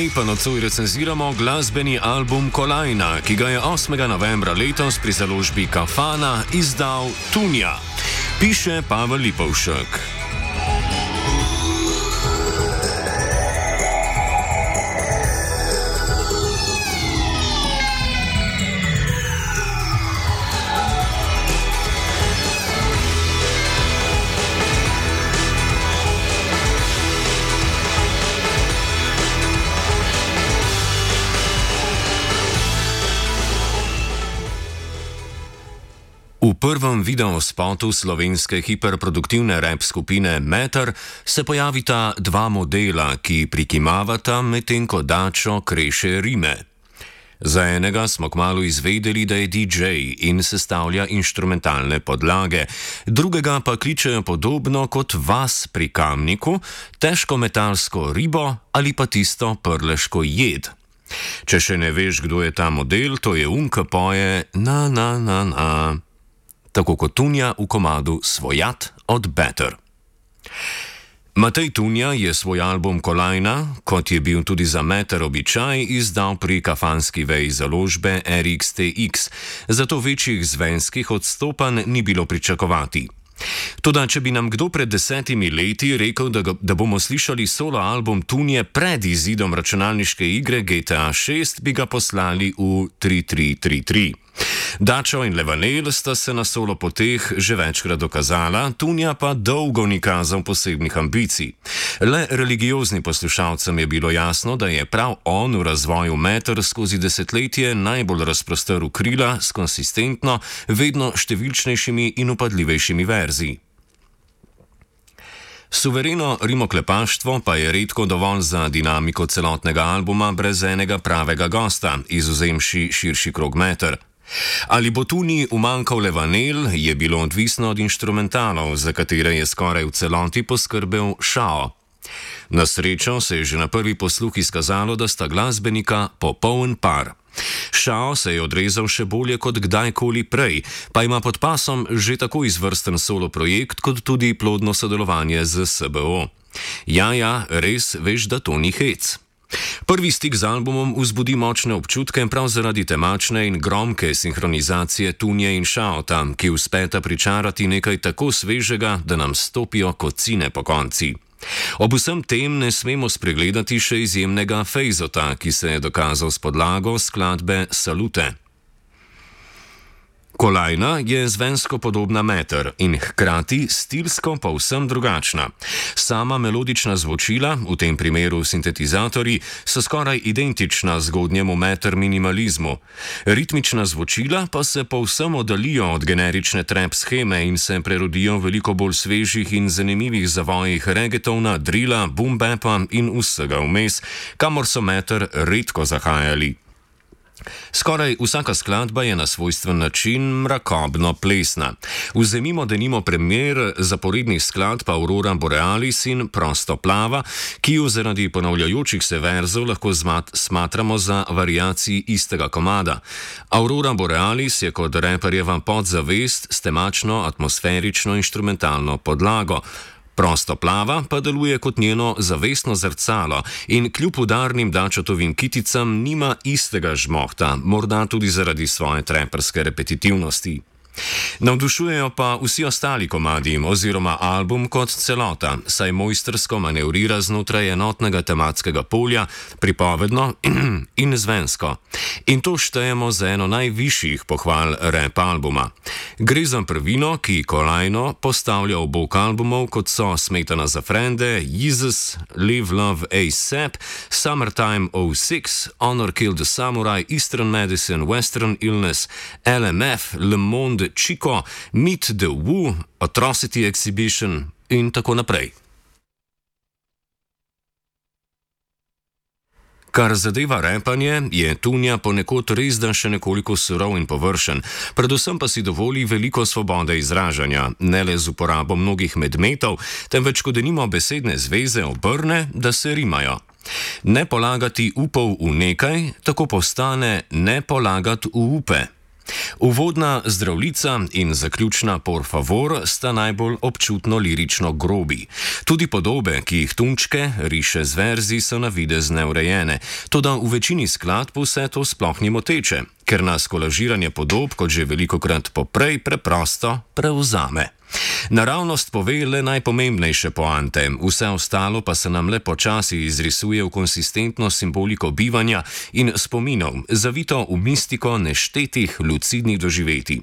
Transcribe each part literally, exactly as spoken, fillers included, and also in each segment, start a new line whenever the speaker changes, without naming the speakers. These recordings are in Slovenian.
Zdaj pa nocoj recenziramo glasbeni album Kolajna, ki ga je osmega novembra letos pri založbi Kafana izdal Tunja. Piše Pavel Lipovšek. V prvem videospotu slovenske hiperproduktivne rap skupine Meter se pojavita dva modela, ki prikimavata, medtem ko Dačo kreše rime. Za enega smo kmalu izvedeli, da je D J in sestavlja inštrumentalne podlage, drugega pa kličejo podobno kot vas pri Kamniku, težko metalsko ribo ali pa tisto prleško jed. Če še ne veš, kdo je ta model, to je um, ki poje na na na na. Tako kot Tunja v komadu Svojat od Better. Matej Tunja je svoj album Kolajna, kot je bil tudi za Meter običaj, izdal pri kafanski veji založbe R X T X, zato večjih zvenskih odstopanj ni bilo pričakovati. Toda, če bi nam kdo pred desetimi leti rekel, da, ga, da bomo slišali solo album Tunje pred izidom računalniške igre G T A šest, bi ga poslali v tri tri tri tri. Dačo in Levanel sta se na solo poteh že večkrat dokazala, Tunja pa dolgo ni kazal posebnih ambicij. Le religioznim poslušalcem je bilo jasno, da je prav on v razvoju Meter skozi desetletje najbolj razprostrl krila s konsistentno, vedno številčnejšimi in upadljivejšimi verzi. Suvereno rimoklepaštvo pa je redko dovolj za dinamiko celotnega albuma brez enega pravega gosta, izvzemši širši krog Meter. Ali bo Tunji umanjkal Levanel, je bilo odvisno od inštrumentalov, za katere je skoraj v celoti poskrbel Šao. Na srečo se je že na prvi posluh izkazalo, da sta glasbenika popoln par. Šao se je odrezal še bolje kot kdajkoli prej, pa ima pod pasom že tako izvrsten solo projekt, kot tudi plodno sodelovanje z S B O. Ja, ja, res veš, da to ni hec. Prvi stik z albumom vzbudi močne občutke prav zaradi temačne in gromke sinhronizacije Tunje in Šaota, ki uspeta pričarati nekaj tako svežega, da nam stopijo kocine po konci. Ob vsem tem ne smemo spregledati še izjemnega Fejzota, ki se je dokazal s podlago skladbe Salute. Kolajna je zvensko podobna Meter in hkrati stilsko povsem drugačna. Sama melodična zvočila, v tem primeru sintetizatorji, so skoraj identična zgodnjemu Meter minimalizmu. Ritmična zvočila pa se povsem oddaljijo od generične trap sheme in se prerodijo v veliko bolj svežih in zanimivih zavojih reggaetona, drila, boom bapa in vsega vmes, kamor so Meter redko zahajali. Skoraj vsaka skladba je na svojstven način mrakobno plesna. Vzemimo denimo primer zaporednih skladb Aurora Borealis in Prosto plava, ki ju zaradi ponavljajočih se verzov lahko zmat, smatramo za variaciji istega komada. Aurora Borealis je kot reperjeva podzavest s temačno, atmosferično inštrumentalno podlago. Prosto plava pa deluje kot njeno zavestno zrcalo in kljub udarnim Dačotovim kiticam nima istega žmohta, morda tudi zaradi svoje treperske repetitivnosti. Navdušujejo pa vsi ostali komadi oziroma album kot celota, saj mojstrsko manevrira znotraj enotnega tematskega polja, pripovedno in zvensko. In to štejemo za eno najvišjih pohval rap albuma. Gre za prvino, ki Kolajno postavlja v bok albumov, kot so Smetana za frende, Jesus, Live Love A$ep, Summertime oh six, Honor Kill the Samurai, Eastern Medicine, Western Illness, L M F, Le Monde Chico, Meet the Woo, Atrocity Exhibition in tako naprej. Kar zadeva repanje, je Tunja ponekod resda še nekoliko surov in površen, predvsem pa si dovoli veliko svobode izražanja, ne le z uporabo mnogih medmetov, temveč ko denimo besedne zveze obrne, da se rimajo. Ne polagati upov v nekaj, tako postane ne polagati v upe. Uvodna Zdravljica in zaključna Por favor sta najbolj občutno lirično grobi. Tudi podobe, ki jih Tunčke riše z verzi, so na videz neurejene, toda v večini skladb vse to sploh ni moteče, ker nas kolažiranje podob, kot že velikokrat poprej, preprosto prevzame. Naravnost pove le najpomembnejše poante, vse ostalo pa se nam le počasi izrisuje v konsistentno simboliko bivanja in spominov, zavito v mistiko neštetih lucidnih doživetij.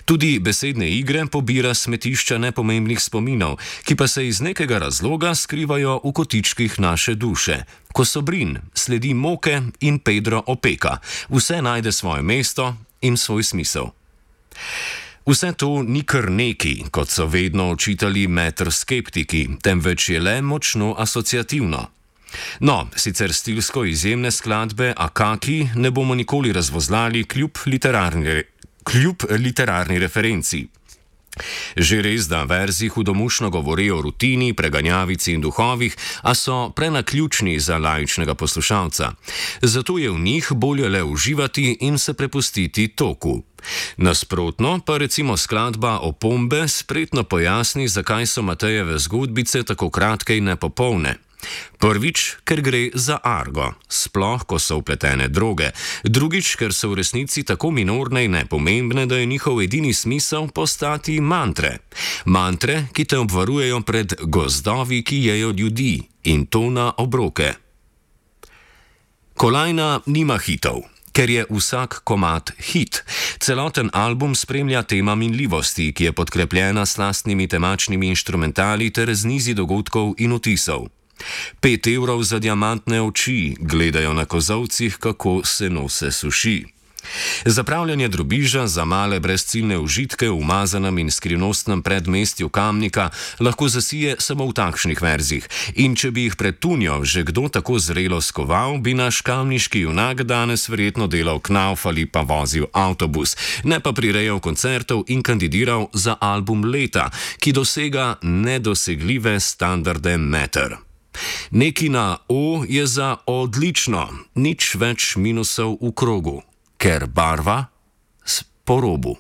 Tudi besedne igre pobira smetišča nepomembnih spominov, ki pa se iz nekega razloga skrivajo v kotičkih naše duše. Ko Sobrin sledi Moke in Pedro opeka, vse najde svoje mesto in svoj smisel. Vse to ni kar neki, kot so vedno očitali Meter skeptiki, temveč je le močno asociativno. No, sicer stilsko izjemne skladbe Akaki ne bomo nikoli razvozlali kljub literarni, kljub literarni referenci. Že res, da verzi hudomušno govorijo o rutini, preganjavici in duhovih, a so prenaključni za laičnega poslušalca. Zato je v njih bolje le uživati in se prepustiti toku. Nasprotno pa recimo skladba Opombe spretno pojasni, zakaj so Matejeve zgodbice tako kratke in nepopolne. Prvič, ker gre za argo, sploh ko so vpletene droge. Drugič, ker so v resnici tako minorne in nepomembne, da je njihov edini smisel postati mantre. Mantre, ki te obvarujejo pred gozdovi, ki jejo ljudi, in to na obroke. Kolajna nima hitov, ker je vsak komad hit. Celoten album spremlja tema minljivosti, ki je podkrepljena s lastnimi temačnimi inštrumentali ter z nizi dogodkov in vtisov. Pet evrov za diamantne oči, gledajo na kozovcih, kako se nose suši. Zapravljanje drobiža za male brezciljne užitke v umazanem in skrivnostnem predmestju Kamnika lahko zasije samo v takšnih verzih, in če bi jih pred Tunjo že kdo tako zrelo skoval, bi naš kamniški junak danes verjetno delal knauf ali pa vozil avtobus, ne pa prirejal koncertov in kandidiral za album leta, ki dosega nedosegljive standarde Meter. Neki na O je za odlično, nič več minusov v krogu, ker barva po robu.